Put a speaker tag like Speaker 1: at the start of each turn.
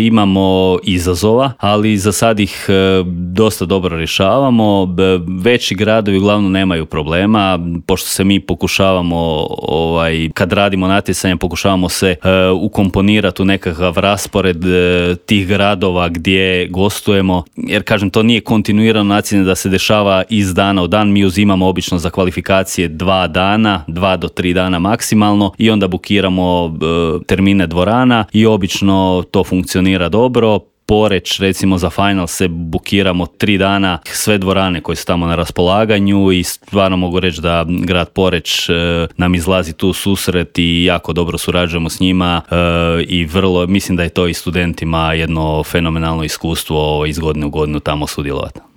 Speaker 1: imamo izazova, ali za sad ih dosta dobro rješavamo. Veći gradovi uglavnom nemaju problema, pošto se mi pokušavamo, kad radimo natjecanje, pokušavamo se ukomponirati u nekakav raspored tih gradova gdje gostujemo, jer kažem, to nije kontinuirano natjecanje da se dešava iz dana u dan. Mi uzimamo obično za kvalifikacije 2 dana, 2 do 3 dana maksimalno i onda bukiramo termine dvorana i obično to funkcionira dobro. Poreč, recimo za final se bukiramo 3 dana, sve dvorane koje su tamo na raspolaganju i stvarno mogu reći da grad Poreč nam izlazi tu susret i jako dobro surađujemo s njima i vrlo, mislim da je to i studentima jedno fenomenalno iskustvo iz godine u godinu tamo sudjelovati.